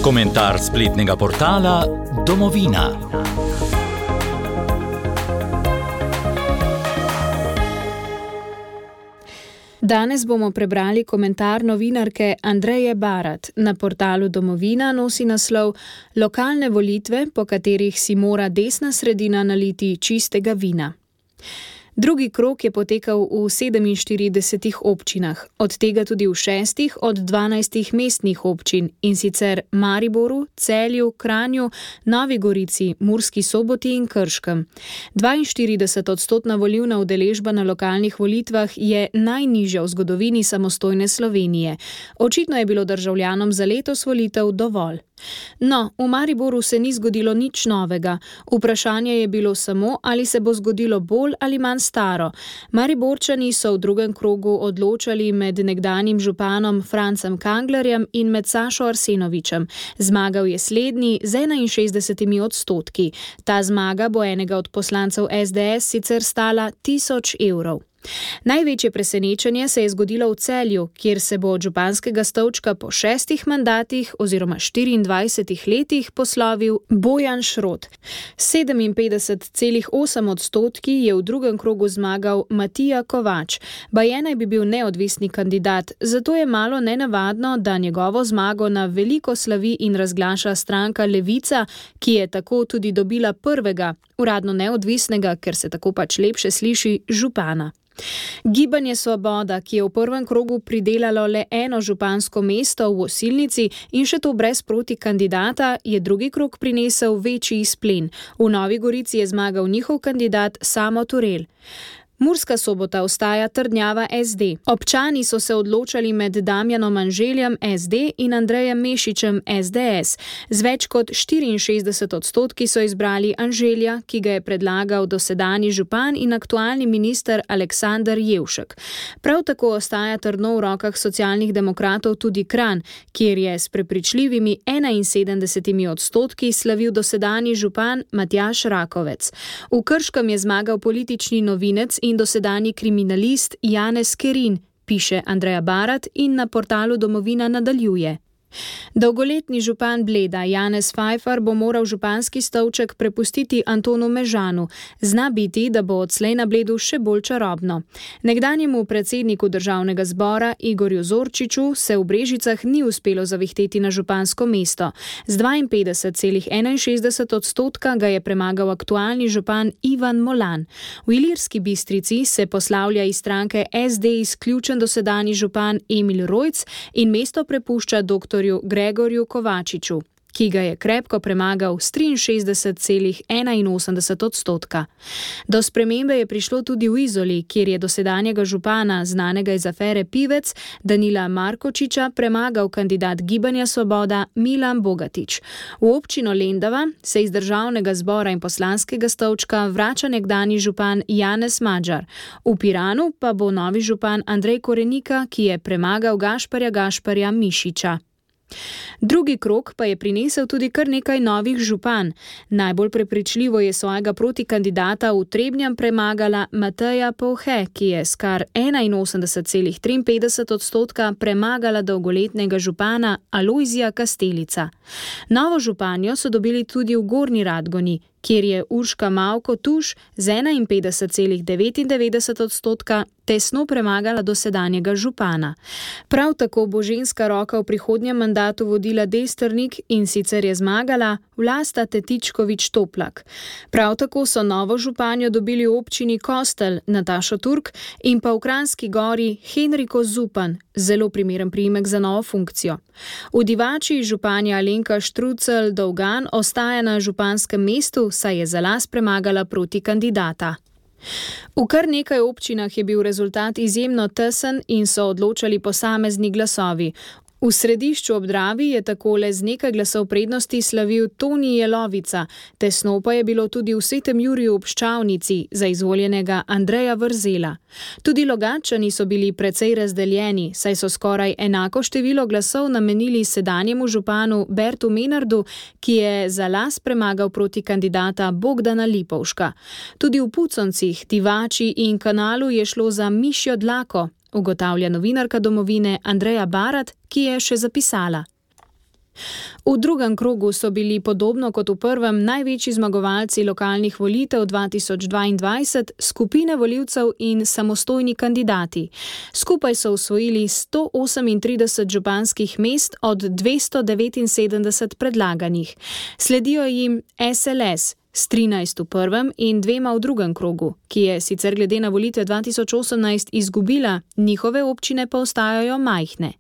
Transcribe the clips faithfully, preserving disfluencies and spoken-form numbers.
Komentar spletnega portala Domovina. Danes bomo prebrali komentar novinarke Andreje Barat. Na portalu Domovina nosi naslov Lokalne volitve, po katerih si mora desna sredina naliti čistega vina. Drugi krog je potekal v sedeminštiridesetih občinah, od tega tudi v šestih od dvanajstih mestnih občin, in sicer Mariboru, Celju, Kranju, Novi Gorici, Murski Soboti in Krškem. dvainštirideset odstotna volilna udeležba na lokalnih volitvah je najnižja v zgodovini samostojne Slovenije. Očitno je bilo državljanom za letos volitev dovolj. No, v Mariboru se ni zgodilo nič novega. Vprašanje je bilo samo, ali se bo zgodilo bolj ali manj staro. Mariborčani so v drugem krogu odločali med nekdanjim županom Francem Kanglerjem in med Sašo Arsenovičem. Zmagal je slednji z enainšestdesetimi odstotki. Ta zmaga bo enega od poslancev es de es sicer stala tisoč evrov. Največje presenečenje se je zgodilo v Celju, kjer se bo od županskega stolčka po šestih mandatih oziroma štiriindvajsetih letih poslovil Bojan Šrot. sedeminpetdeset celih osem odstotki je v drugem krogu zmagal Matija Kovač. Baje naj bi bil neodvisni kandidat, zato je malo nenavadno, da njegovo zmago na veliko slavi in razglaša stranka Levica, ki je tako tudi dobila prvega, uradno neodvisnega, ker se tako pač lepše sliši, župana. Gibanje Svoboda, ki je v prvem krogu pridelalo le eno župansko mesto v Osilnici in še to brez protikandidata, je drugi krog prinesel večji izplen. V Novi Gorici je zmagal njihov kandidat Samo Turel. Murska Sobota ostaja trdnjava es de. Občani so se odločali med Damjanom Anželjem es de in Andrejem Mešičem es de es. Z več kot štiriinšestdeset odstotki so izbrali Anželja, ki ga je predlagal dosedanji župan in aktualni minister Aleksander Jevšek. Prav tako ostaja trdno v rokah socialnih demokratov tudi Kranj, kjer je s prepričljivimi enainsedemdesetimi odstotki slavil dosedanji župan Matjaž Rakovec. V Krškem je zmagal politični novinec in dosedanji kriminalist Janez Kerin, piše Andreja Barat in na portalu Domovina nadaljuje. Dolgoletni župan Bleda Janez Fajfar bo moral županski stolček prepustiti Antonu Mežanu. Zna biti, da bo odslej na Bledu še bolj čarobno. Nekdanjemu predsedniku državnega zbora Igorju Zorčiču se v Brežicah ni uspelo zavihteti na župansko mesto. Z dvainpetdeset celih enainšestdeset odstotka ga je premagal aktualni župan Ivan Molan. V Ilirski Bistrici se poslavlja iz stranke es de izključen dosedanji župan Emil Rojc in mesto prepušča doktor Gregorju Kovačiču, ki ga je krepko premagal s triinšestdeset celih enainosemdeset odstotka. Do spremembe je prišlo tudi v Izoli, kjer je dosedanjega župana, znanega iz afere Pivec, Danila Markočiča, premagal kandidat Gibanja Svoboda Milan Bogatič. V občino Lendava se iz državnega zbora in poslanskega stolčka vrača nekdanji župan Janez Madžar. V Piranu pa bo novi župan Andrej Korenika, ki je premagal Gašparja Gašparja Mišiča. Drugi krog pa je prinesel tudi kar nekaj novih župan. Najbolj prepričljivo je svojega protikandidata v Trebnjem premagala Mateja Povhe, ki je s kar enainosemdeset celih triinpetdeset odstotka premagala dolgoletnega župana Alojzija Kastelica. Novo županjo so dobili tudi v Gornji Radgoni, kjer je Urška Mavko Tuš z enainpetdeset celih devetindevetdeset odstotka tesno premagala dosedanjega župana. Prav tako bo ženska roka v prihodnjem mandatu vodila Destrnik in sicer je zmagala Vlasta Tetičkovič Toplak. Prav tako so novo županjo dobili v občini Kostel Natašo Turk in pa v Kranjski Gori Henriko Zupan, zelo primeren priimek za novo funkcijo. V Divači županja Alenka Štrucelj Dolgan ostaja na županskem mestu, saj je za las premagala protikandidata. V kar nekaj občinah je bil rezultat izjemno tesen in so odločali posamezni glasovi. V Središču ob Dravi je takole z nekaj glasov prednosti slavil Toni Jelovica, tesno pa je bilo tudi v Svetem Juriju ob Ščavnici za izvoljenega Andreja Vrzela. Tudi Logatčani so bili precej razdeljeni, saj so skoraj enako število glasov namenili sedanjemu županu Bertu Menardu, ki je za las premagal proti kandidata Bogdana Lipovška. Tudi v Puconcih, Divači in Kanalu je šlo za mišjo dlako, ugotavlja novinarka Domovine Andreja Barat, ki je še zapisala. V drugem krogu so bili podobno kot v prvem največji zmagovalci lokalnih volitev dva tisoč dvaindvajset skupine volivcev in samostojni kandidati. Skupaj so osvojili sto osemintrideset županskih mest od dvesto devetinsedemdeset predlaganih. Sledijo jim S L S s trinajst v prvem in dvema v drugem krogu, ki je sicer glede na volitve dva tisoč osemnajst izgubila, njihove občine pa ostajajo majhne.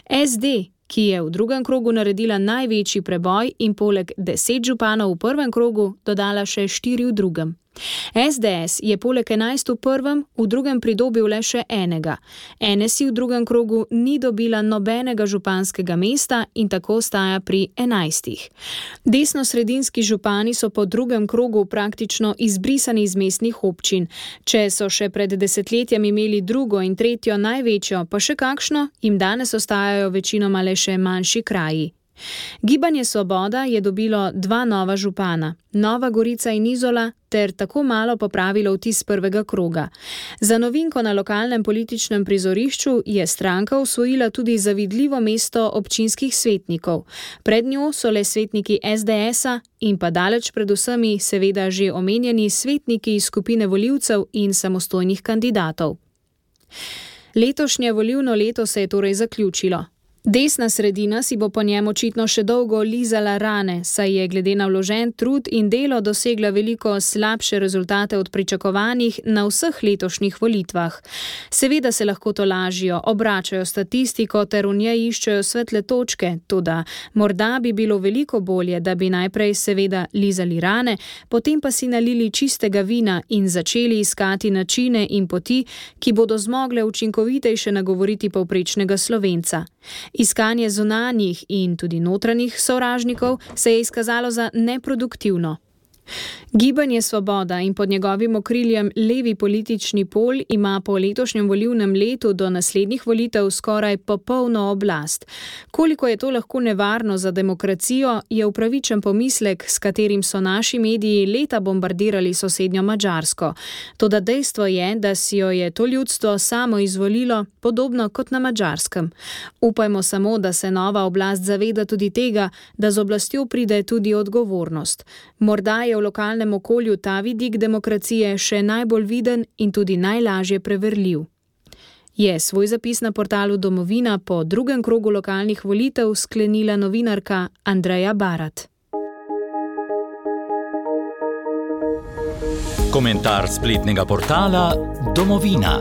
S D, ki je v drugem krogu naredila največji preboj in poleg deset županov v prvem krogu dodala še štiri v drugem. S D S je poleg enajst v prvem v drugem pridobil le še enega. N S I v drugem krogu ni dobila nobenega županskega mesta in tako ostaja pri enajstih. Desnosredinski župani so po drugem krogu praktično izbrisani iz mestnih občin. Če so še pred desetletjem imeli drugo in tretjo največjo, pa še kakšno, jim danes ostajajo večinoma le še manjši kraji. Gibanje Svoboda je dobilo dva nova župana, Nova Gorica in Izola, ter tako malo popravilo vtis prvega kroga. Za novinko na lokalnem političnem prizorišču je stranka osvojila tudi zavidljivo mesto občinskih svetnikov. Pred njo so le svetniki S D S-a in pa daleč pred vsemi seveda že omenjeni svetniki iz skupine volivcev in samostojnih kandidatov. Letošnje volilno leto se je torej zaključilo. Desna sredina si bo po njem očitno še dolgo lizala rane, saj je glede na vložen trud in delo dosegla veliko slabše rezultate od pričakovanih na vseh letošnjih volitvah. Seveda se lahko to lažijo, obračajo statistiko ter v njej iščejo svetle točke, toda morda bi bilo veliko bolje, da bi najprej seveda lizali rane, potem pa si nalili čistega vina in začeli iskati načine in poti, ki bodo zmogle učinkovitejše nagovoriti povprečnega Slovenca. Iskanje zunanjih in tudi notranjih sovražnikov se je izkazalo za neproduktivno. Gibanje Svoboda in pod njegovim okriljem levi politični pol ima po letošnjem volilnem letu do naslednjih volitev skoraj popolno oblast. Koliko je to lahko nevarno za demokracijo, je upravičen pomislek, s katerim so naši mediji leta bombardirali sosednjo Madžarsko. Toda dejstvo je, da si jo je to ljudstvo samo izvolilo, podobno kot na Madžarskem. Upajmo samo, da se nova oblast zaveda tudi tega, da z oblastjo pride tudi odgovornost. Morda je v lokalnem okolju ta vidik demokracije še najbolj viden in tudi najlažje preverljiv. Je svoj zapis na portalu Domovina po drugem krogu lokalnih volitev sklenila novinarka Andreja Barat. Komentar spletnega portala Domovina.